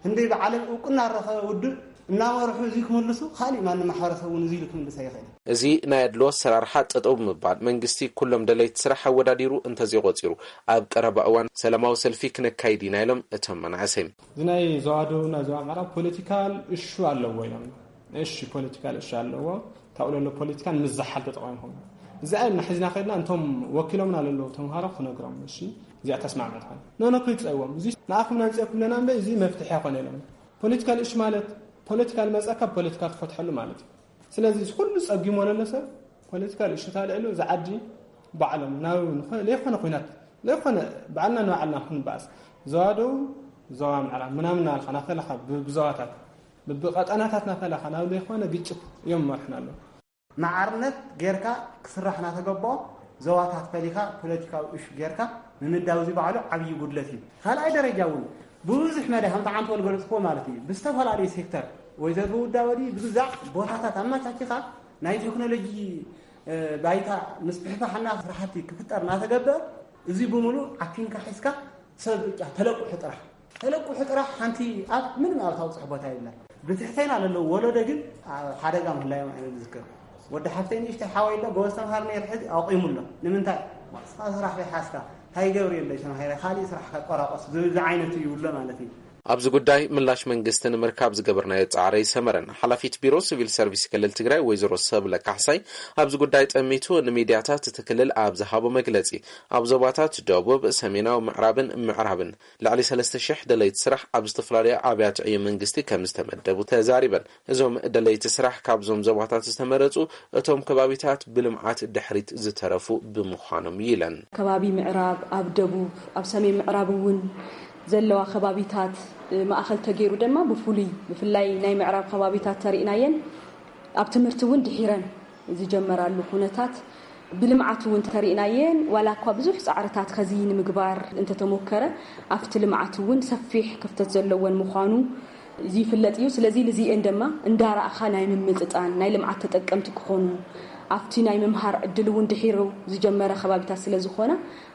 ክንደይ ብዓለም እውቅና ረኸበ ውድብ እናመርሑ እዚ ክምልሱ፣ ካሊእ ማንም ማሕበረሰብ እውን እዚ ኢሉ ክምልስ ኣይኽእል። እዚ ናይ ኣድሎ ኣሰራርሓ ጠጠው ብምባል መንግስቲ ኩሎም ደለይቲ ስራሕ ኣወዳዲሩ እንተዘይቆፂሩ፣ ኣብ ቀረባ እዋን ሰላማዊ ሰልፊ ክነካይድ ኢና ኢሎም እቶም መናእሰይ። እዚ ናይ ዘዋደቡና ዞባ ምዕራብ ፖለቲካል እሹ ኣለዎ ኢሎም። እሺ፣ ፖለቲካል እሹ ኣለዎ። ካብኡ ለሎ ፖለቲካን ምዝሓል ተጠቒምኩም። እዚ ኣይና ሒዝና ከድና እንቶም ወኪሎምና ለለዉ ተምሃሮ ክነግሮም። እሺ፣ እዚኣ ተስማዕመት ኾነ። ኖ፣ ኖ፣ ክይጸዎም። እዚ ንኣኹም ናንጽኦ ክብለና እምበር እዚ መፍትሒ ኣይኮነ ኢሎም። ፖለቲካል እሹ ማለት ፖለቲካል መጻካ ፖለቲካ ትፈትሐሉ ማለት እዩ። ስለዚ እዚ ኩሉ ጸጊሞ ለሎ ሰብ ፖለቲካል እሹ ታልዕሉ እዚ ዓዲ ባዕሎም ናብ ንኸ-፣ ለይኮነ ኲናት፣ ለይኮነ ባዕልና ንባዕልና ክንበኣስ። ዞባ ደቡብ፣ ዞባ ምዕራብ ምናምን እናበልካ ናፈለኻ ብ-፣ ብዞባታት፣ ብቐጠናታት ናፈለኻ ናብ ለይኮነ ግጭት እዮም መርሕና ኣለዉ። ማዕርነት ጌርካ ክስራሕ እናተገበኦ ዞባታት ፈሊኻ ፖለቲካዊ እሹ ጌርካ ምምዳው እዚ ባዕሉ ዓብዪ ጉድለት እዩ። ካልኣይ ደረጃ እውን ብብዙሕ መዳ ከምቲ ዓንተ ወልገለጽክዎ ማለት እዩ። ብዝተፈላለዩ ሴክተር ወይ ዘርቢ ውዳበ ድዩ ብግዛዕ ቦታታት ኣመቻችኻ ናይ ቴክኖሎጂ፣ እ፣ ባይታ ምስፍሕፋሕና ስራሕቲ ክፍጠር እናተገበረ እዚ ብምሉእ ዓኪንካ ሒዝካ ሰብ ብቻ ተለቁሑ ጥራሕ፣ ተለቁሑ ጥራሕ ሓንቲ ኣብ ምንም ኣብ ታውፅሕ ቦታ የብላ። ብትሕተና ለለዉ ወለዶ ግን ኣብ ሓደጋ ምህላዮም ኣይነ ዝዝክር። ወዲ ሓፍተይ ንእሽተይ ሓወይ ኣሎ፣ ጎበዝ ተምሃር ነይሩ፣ ሕዚ ኣቑሙ ኣሎ። ንምንታይ? ስራሕ ዘይሓዝካ፣ እንታይ ይገብር የለይ ተማሂረ፣ ካሊእ ስራሕ ከቆራቆስ ዝብል ዝዓይነቱ ይብሎ ማለት እዩ። ኣብዚ ጉዳይ ምላሽ መንግስቲ ንምርካብ ዝገበርናዮ ጻዕሪ ኣይሰመረን። ሓላፊት ቢሮ ሲቪል ሰርቪስ ክልል ትግራይ ወይዘሮ ሰብለ ካሕሳይ ኣብዚ ጉዳይ ጠሚቱ ንሚድያታት እቲ ክልል ኣብ ዝሃቦ መግለጺ፣ ኣብ ዞባታት ደቡብ፣ ሰሜናዊ ምዕራብን ምዕራብን ልዕሊ ሰለስተ ሽሕ ደለይቲ ስራሕ ኣብ ዝተፈላለዩ ኣብያተ ዕዮ መንግስቲ ከም ዝተመደቡ ተዛሪበን። እዞም ደለይቲ ስራሕ ካብዞም ዞባታት ዝተመረጹ እቶም ከባቢታት ብልምዓት ድሕሪት ዝተረፉ ብምዃኖም ኢለን። ከባቢ ምዕራብ፣ ኣብ ደቡብ፣ ኣብ ሰሜን ምዕራብ እውን ዘለዋ ከባቢታት፣ እ፣ ማእኸል ተገይሩ ድማ ብፍሉይ ብፍላይ ናይ ምዕራብ ከባቢታት ተሪእናየን ኣብ ትምህርቲ እውን ድሒረን ዝጀመራሉ ኩነታት ብልምዓት እውን ተሪእናየን ዋላ እኳ ብዙሕ ፃዕርታት ከዚ ንምግባር እንተተሞከረ ኣብቲ ልምዓት እውን ሰፊሕ ክፍተት ዘለወን ምዃኑ ይፍለጥ እዩ። ስለዚ ልዚኤን ድማ እንዳረኣኻ ናይ ምምጥጣን ናይ ልምዓት ተጠቀምቲ ክኾኑ ኣብቲ ናይ ምምሃር ዕድል እውን ድሒሩ ዝጀመረ ከባቢታት ስለ ዝኾነ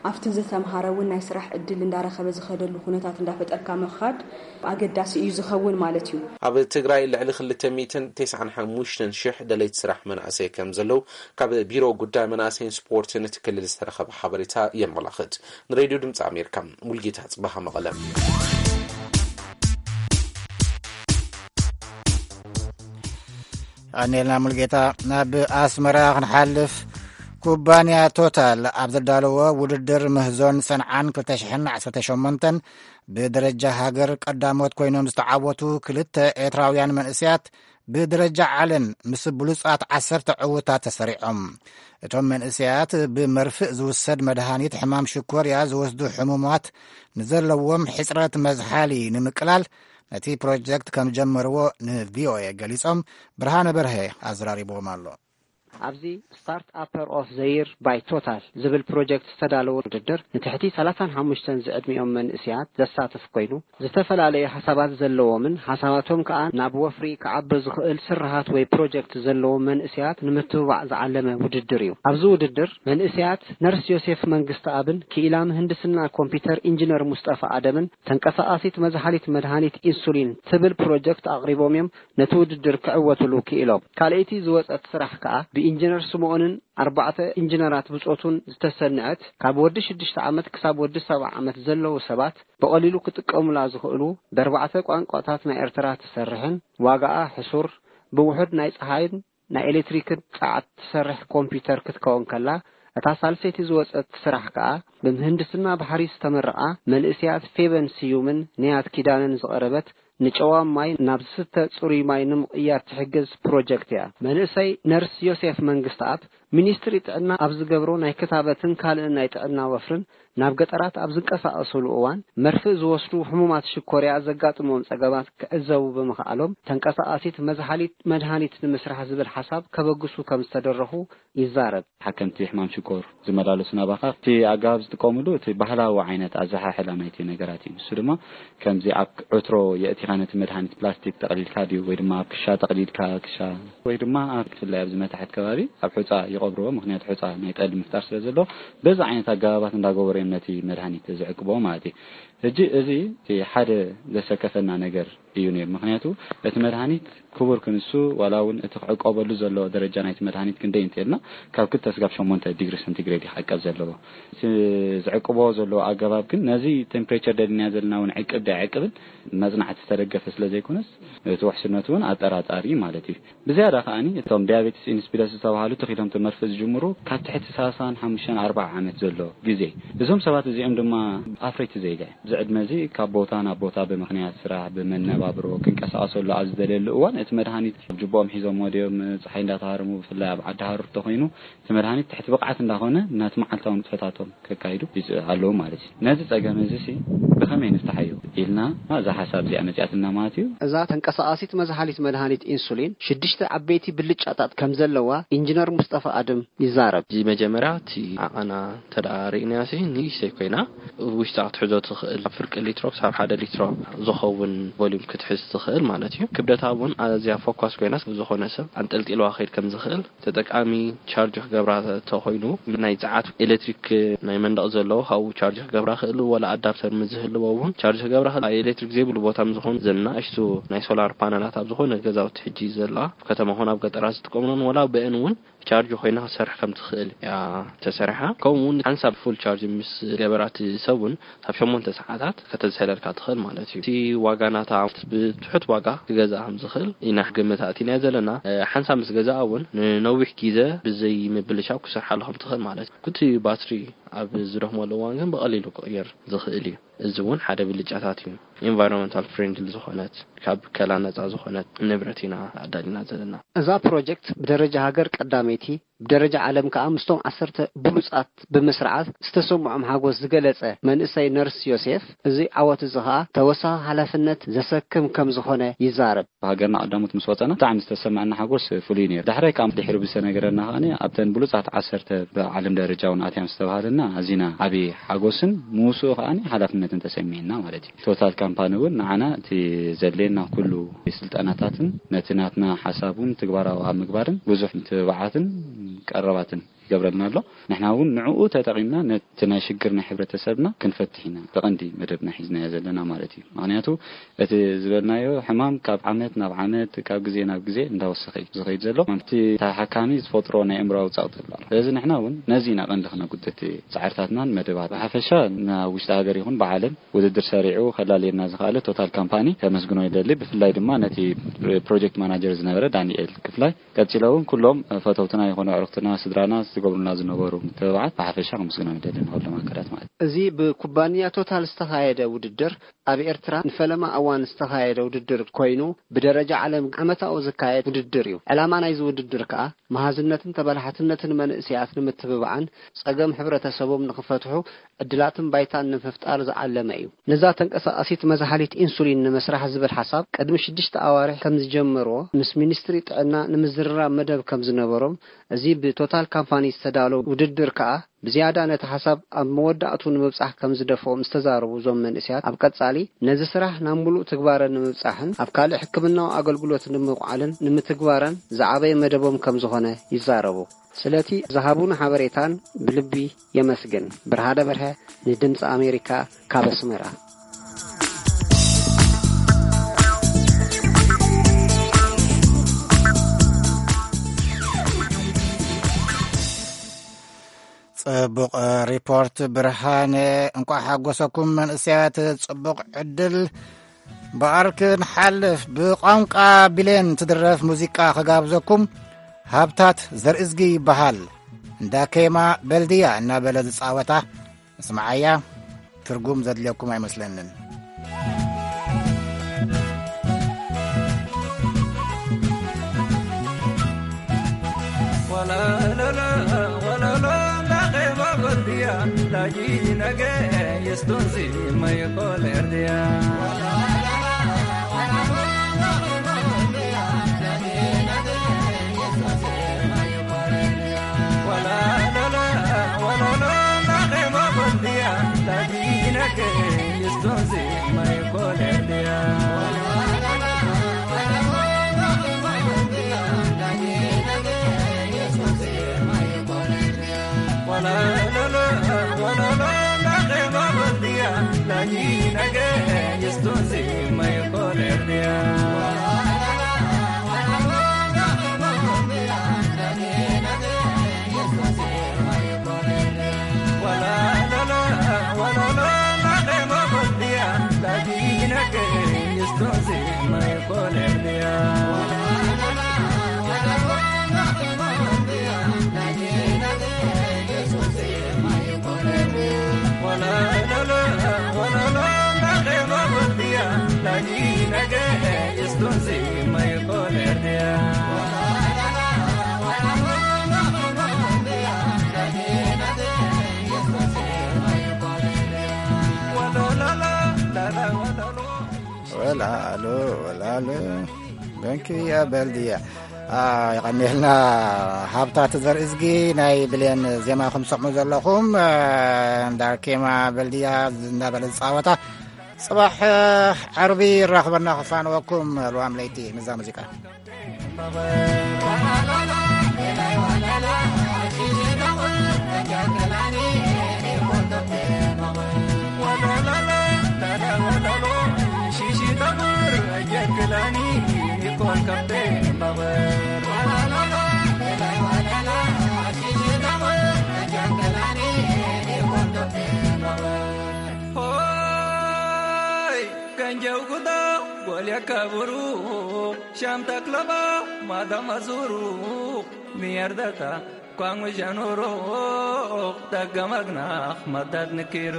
ኣብቲ ዝተምሃረ እውን ናይ ስራሕ ዕድል እንዳረኸበ ዝኸደሉ ኩነታት እንዳፈጠርካ ምኻድ ኣገዳሲ እዩ ዝኸውን ማለት እዩ። ኣብ ትግራይ ልዕሊ ክልተ ሚእትን ተስዓን ሓሙሽተን ሽሕ ደለይቲ ስራሕ መናእሰይ ከም ዘለዉ ካብ ቢሮ ጉዳይ መናእሰይን ስፖርትን እቲ ክልል ዝተረኸበ ሓበሬታ የመላኽት። ንሬድዮ ድምፂ ኣሜሪካ ሙልጌታ ፅባሃ መቐለ። ኣኔልና ሙልጌታ። ናብ ኣስመራ ክንሓልፍ፣ ኩባንያ ቶታል ኣብ ዘዳለዎ ውድድር ምህዞን ሰንዓን ክልተ ሽሕን ዓሰርተ ሸሞንተን ብደረጃ ሃገር ቀዳሞት ኮይኖም ዝተዓወቱ ክልተ ኤርትራውያን መንእሰያት ብደረጃ ዓለም ምስ ብሉጻት ዓሰርተ ዕውታት ተሰሪዖም። እቶም መንእሰያት ብመርፍእ ዝውሰድ መድሃኒት ሕማም ሽኮርያ ዝወስዱ ሕሙማት ንዘለዎም ሕጽረት መዝሓሊ ንምቅላል ነቲ ፕሮጀክት ከም ጀመርዎ ንቪኦኤ ገሊጾም። ብርሃነ በርሀ ኣዘራሪብዎም ኣሎ። ኣብዚ ስታርት ኣፐር ኦፍ ዘይር ባይ ቶታል ዝብል ፕሮጀክት ዝተዳለወ ውድድር ንትሕቲ ሰላሳን ሓሙሽተን ዝዕድሚኦም መንእስያት ዘሳትፍ ኮይኑ፣ ዝተፈላለዩ ሓሳባት ዘለዎምን ሓሳባቶም ከኣ ናብ ወፍሪ ክዓቢ ዝኽእል ስርሃት ወይ ፕሮጀክት ዘለዎም መንእስያት ንምትብባዕ ዝዓለመ ውድድር እዩ። ኣብዚ ውድድር መንእስያት ነርስ ዮሴፍ መንግስተኣብን ክኢላ ምህንድስና ኮምፒውተር ኢንጂነር ሙስጠፋ ኣደምን ተንቀሳቓሲት መዝሓሊት መድሃኒት ኢንሱሊን ትብል ፕሮጀክት ኣቕሪቦም እዮም ነቲ ውድድር ክዕወትሉ ክኢሎም። ካልኣይቲ ዝወጸት ስራሕ ከኣ ብኢንጂነር ስምኦንን ኣርባዕተ ኢንጂነራት ብጾቱን ዝተሰንዐት ካብ ወዲ ሽዱሽተ ዓመት ክሳብ ወዲ ሰብዓ ዓመት ዘለዉ ሰባት ብቐሊሉ ክጥቀሙላ ዝኽእሉ ብኣርባዕተ ቋንቋታት ናይ ኤርትራ ትሰርሕን ዋጋኣ ሕሱር ብውሑድ ናይ ጸሓይን ናይ ኤሌክትሪክን ጸዓት ትሰርሕ ኮምፒውተር ክትከውን ከላ፣ እታ ሳልሰይቲ ዝወጸት ስራሕ ከኣ ብምህንድስና ባሕሪ ዝተመረቓ መንእስያት ፌበን ስዩምን ንያት ኪዳነን ዝቐረበት ንጨዋም ማይ ናብ ዝስተ ጽሩይ ማይ ንምቕያር ትሕግዝ ፕሮጀክት እያ። መንእሰይ ነርስ ዮሴፍ መንግስተኣብ ሚኒስትሪ ጥዕና ኣብ ዝገብሮ ናይ ክታበትን ካልእን ናይ ጥዕና ወፍርን ናብ ገጠራት ኣብ ዝንቀሳቐስሉ እዋን መርፍእ ዝወስዱ ሕሙማት ሽኮርያ ዘጋጥሞም ጸገማት ክዕዘቡ ብምኽኣሎም ተንቀሳቓሲት መዝሓሊት መድሃኒት ንምስራሕ ዝብል ሓሳብ ከበግሱ ከም ዝተደረኹ ይዛረብ። ሓከምቲ ሕማም ሽኮር ዝመላለሱ ናባኻ እቲ ኣገባብ ዝጥቀምሉ እቲ ባህላዊ ዓይነት ኣዘሓሕላ ናይቲ ነገራት እዩ። ንሱ ድማ ከምዚ ኣብ ዕትሮ የእቲኻ ነቲ መድሃኒት ፕላስቲክ ጠቕሊልካ ድዩ ወይ ድማ ኣብ ክሻ ጠቕሊልካ ክሻ ወይ ድማ ኣብ ብፍላይ ኣብዚ መታሕት ከባቢ ኣብ ሑፃ ይቐብርዎ። ምኽንያቱ ሑፃ ናይ ጠሊ ምፍጣር ስለ ዘለዎ በዚ ዓይነት ኣገባባት እንዳገበሩ እዮም ነቲ መድሃኒት ዝዕቅብዎ ማለት እዩ። ሕጂ እዚ እቲ ሓደ ዘሰከፈና ነገር እዩ ነይሩ። ምኽንያቱ እቲ መድሃኒት ክቡር ክንሱ ዋላ እውን እቲ ክዕቀበሉ ዘለዎ ደረጃ ናይቲ መድሃኒት ክንደይ እንተልና ካብ ክልተ ስጋብ ሸሞንተ ዲግሪ ሰንቲግሬድ ይሓቀብ ዘለዎ። እቲ ዝዕቅቦ ዘለዎ ኣገባብ ግን ነዚ ቴምፕሬቸር ደሊና ዘለና እውን ዕቅብ ዶ ኣይዕቅብን መጽናዕቲ ዝተደገፈ ስለ ዘይኮነስ እቲ ውሕስነቱ እውን ኣጠራጣሪ ማለት እዩ። ብዝያዳ ከኣኒ እቶም ዲያቤትስ ኢንስፒደስ ዝተባሃሉ ተኺሎም ትምህርቲ ዝጅምሩ ካብ ትሕቲ ሰላሳን ሓሙሽተን ኣርባዓ ዓመት ዘሎ ግዜ። እዞም ሰባት እዚኦም ድማ ኣፍረይቲ ዜጋ እዮም። እዚ ዕድመ እዚ ካብ ቦታ ናብ ቦታ ብምኽንያት ስራሕ፣ ብመነባብሮ ክንቀሳቐሰሉ ኣብ ዝደልየሉ እዋን እቲ መድሃኒት ኣብ ጅቦኦም ሒዞምዎ ድዮም፣ ጸሓይ እንዳተሃረሙ፣ ብፍላይ ኣብ ዓዲ ሃሩር ተኾይኑ እቲ መድሃኒት ትሕቲ ብቕዓት እንዳኾነ ነቲ መዓልታዊ ንጥፈታቶም ከካይዱ ይጽ-፣ ኣለዉ ማለት እዩ። ነዚ ጸገም እዚ ሲ ብኸመይ ንፍታሓዮ ኢልና እዛ ሓሳብ እዚኣ መጺኣትና ማለት እዩ። እዛ ተንቀሳቓሲት መዝሓሊት መድሃኒት ኢንሱሊን ሽዱሽተ ዓበይቲ ብልጫታት ከም ዘለዋ ኢንጂነር ሙስጠፋ ኣድም ይዛረብ። እዚ መጀመርያ እቲ ዓቐና እንተ ደኣ ርኢናዮ ሲ ንእሽተይ ኮይና ውሽጣ ክትሕዞ ትኽእል፣ ካብ ፍርቂ ሊትሮ ክሳብ ሓደ ሊትሮ ዝኸውን ቮሊዩም ክትሕዝ ትኽእል ማለት እዩ። ክብደታ እውን ኣዝያ ፎካስ ኮይና ዝኾነ ሰብ ኣንጠልጢልዋ ክኸይድ ከም ዝኽእል፣ ተጠቃሚ ቻርጅ ክገብራ ተኾይኑ ናይ ጸዓት ኤሌክትሪክ ናይ መንደቕ ዘለዎ ካብኡ ቻርጅ ክገብራ ክእል፣ ወላ ኣዳፕተር ምስ ዝህልዎ እውን ቻርጅ ክገብራ ክእል። ኤሌክትሪክ ዘይብሉ ቦታ ምስ ዝኾኑ ዘናእሽቱ ናይ ሶላር ፓነላት ኣብ ዝኾነ ገዛውቲ ሕጂ ዘለዋ ኣብ ከተማ ኾነ ኣብ ገጠራት ዝጥቀምለን ወላ ብአን እውን ቻርጅ ኮይና ክትሰርሕ ከም ትኽእል እያ ተሰሪሓ። ከምኡ እውን ሓንሳብ ፉል ቻርጅ ምስ ገበራት ሰብ እውን ካብ ሸሞንተ ሰዓታት ከተዝሕለልካ ትኽእል ማለት እዩ። እቲ ዋጋ ናታ ብትሑት ዋጋ ክገዝኣ ከም ዝኽእል ኢና ግምት ኣእቲናዮ ዘለና። ሓንሳብ ምስ ገዝኣ እውን ንነዊሕ ግዜ ብዘይ ምብልሻው ክሰርሓሉ ከም ትኽእል ማለት እዩ። እቲ ባትሪ ኣብ ዝደኽመሉ እዋን ግን ብቐሊሉ ክቕየር ዝኽእል እዩ። እዚ እውን ሓደ ብልጫታት እዩ። ኢንቫይሮንመንታል ፍሬንድሊ ዝኾነት ካብ ከላ ነፃ ዝኾነት ንብረት ኢና ኣዳሊና ዘለና። እዛ ፕሮጀክት ብደረጃ ሃገር ቀዳመይቲ ብደረጃ ዓለም ከኣ ምስቶም ዓሰርተ ብሉጻት ብምስርዓት ዝተሰምዖም ሓጎስ ዝገለጸ መንእሰይ ነርስ ዮሴፍ፣ እዚ ዓወት እዚ ከኣ ተወሳኺ ሓላፍነት ዘሰክም ከም ዝኾነ ይዛረብ። ብሃገርና ቀዳሞት ምስ ወጸና ብጣዕሚ ዝተሰማዐና ሓጎስ ፍሉይ ነይሩ። ዳሕራይ ከኣ ድሕሪ ብዝተነገረና ከኣ ኣብተን ብሉጻት ዓሰርተ ብዓለም ደረጃ እውን ኣትያም ዝተባሃለና ኣዚና ዓብዪ ሓጎስን ምስኡ ከኣ ሓላፍነትን ተሰሚዕና ማለት እዩ። ቶታል ካምፓኒ እውን ንዓና እቲ ዘድልየና ኩሉ ስልጠናታትን ነቲ ናትና ሓሳብ እውን ትግባራዊ ኣብ ምግባርን ብዙሕ ምትብባዓትን ቀረባትን ይገብረልና ኣሎ። ንሕና እውን ንዕኡ ተጠቒምና ነቲ ናይ ሽግር ናይ ሕብረተሰብና ክንፈትሕ ኢና ብቐንዲ መደብና ሒዝናዮ ዘለና ማለት እዩ። ምኽንያቱ እቲ ዝበልናዮ ሕማም ካብ ዓመት ናብ ዓመት፣ ካብ ግዜ ናብ ግዜ እንዳወሰኸ እዩ ዝኸይድ ዘሎ። እቲ ተሓካሚ ዝፈጥሮ ናይ ኣእምሮኣዊ ጸቕጢ ኣሎ። ስለዚ ንሕና እውን ነዚ ኢና ቀንዲ ክነጉድት ጻዕርታትናን መደባት። ብሓፈሻ ናብ ውሽጢ ሃገር ይኹን ብዓለም ውድድር ሰሪዑ ከላልየና ዝኸኣለ ቶታል ካምፓኒ ከመስግኖ ይደሊ። ብፍላይ ድማ ነቲ ፕሮጀክት ማናጀር ዝነበረ ዳንኤል ክፍላይ፣ ቀጺለ እውን ኩሎም ፈተውትና ይኹኑ ኣዕሩኽትና፣ ስድራና ዝገብሩልና ዝነበሩ ምትብባዓት ብሓፈሻ ከመስግኖ ይደሊ ንኹሎም ኣካላት ማለት እዩ። እዚ ብኩባንያ ቶታል ዝተኻየደ ውድድር ኣብ ኤርትራ ንፈለማ እዋን ዝተኻየደ ውድድር ኮይኑ፣ ብደረጃ ዓለም ዓመታዊ ዝካየድ ውድድር እዩ። ዕላማ ናይዚ ውድድር ከኣ መሃዝነትን ተበላሓትነትን መንእሰያት ንምትብባዕን ጸገም ሕብረተሰቦም ንኽፈትሑ ዕድላትን ባይታን ንምፍጣር ዝዓለመ እዩ። ነዛ ተንቀሳቓሲት መዝሃሊት ኢንሱሊን ንምስራሕ ዝብል ሓሳብ ቅድሚ ሽዱሽተ ኣዋርሕ ከም ዝጀመርዎ ምስ ሚኒስትሪ ጥዕና ንምዝርራብ መደብ ከም ዝነበሮም፣ እዚ ብቶታል ካምፓኒ ዝተዳለወ ውድድር ከኣ ብዝያዳ ነቲ ሓሳብ ኣብ መወዳእቱ ንምብጻሕ ከም ዝደፍኦ ምስ ተዛረቡ እዞም መንእሰያት፣ ኣብ ቀጻሊ ነዚ ስራሕ ናብ ምሉእ ትግባረ ንምብጻሕን ኣብ ካልእ ሕክምናዊ ኣገልግሎት ንምውዓልን ንምትግባረን ዝዓበየ መደቦም ከም ዝኾነ ይዛረቡ። ስለቲ ዝሃቡና ሓበሬታን ብልቢ የመስግን። ብርሃነ በርሀ ንድምፂ ኣሜሪካ ካብ ኣስመራ። ጽቡቕ ሪፖርት ብርሃነ። እንቋዕ ሓጎሰኩም መንእሰያት። ጽቡቕ ዕድል። ብኣርክ ንሓልፍ። ብቋንቋ ብሌን ትድረፍ ሙዚቃ ክጋብዘኩም። ሃብታት ዘርእዝጊ ይበሃል። እንዳ ኬማ በልድያ እናበለ ዝጻወታ። እስምዓያ፣ ትርጉም ዘድልየኩም ኣይመስለንን። ወላሉ፣ ወላሉ፣ በንኪ እያ በልድያ። አ፣ የቐንየልና። ሃብታት ዘርእዝጊ ናይ ብሌን ዜማ ከም ትሰምዑ ዘለኹም፣ አ፣ እንዳ ኬማ በልድያ እንዳበለ ዝጻወታ። ጽባሕ፣ አ፣ ዓርቢ ይራኽበና ክፋንወኩም። ልዋም ለይቲ ንዛ ሙዚቃ። ሆይ ገንጀው ጉዶ ጎልያ ከብሩ ሻምታ ክለባ ማዳማ ዙሩ ሚያርዳታ ኳንጉ ጃኑሮ ደገመግናኽ መዳድ ንኪሩ።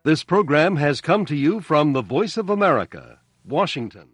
This program has come to you from the Voice of America, Washington.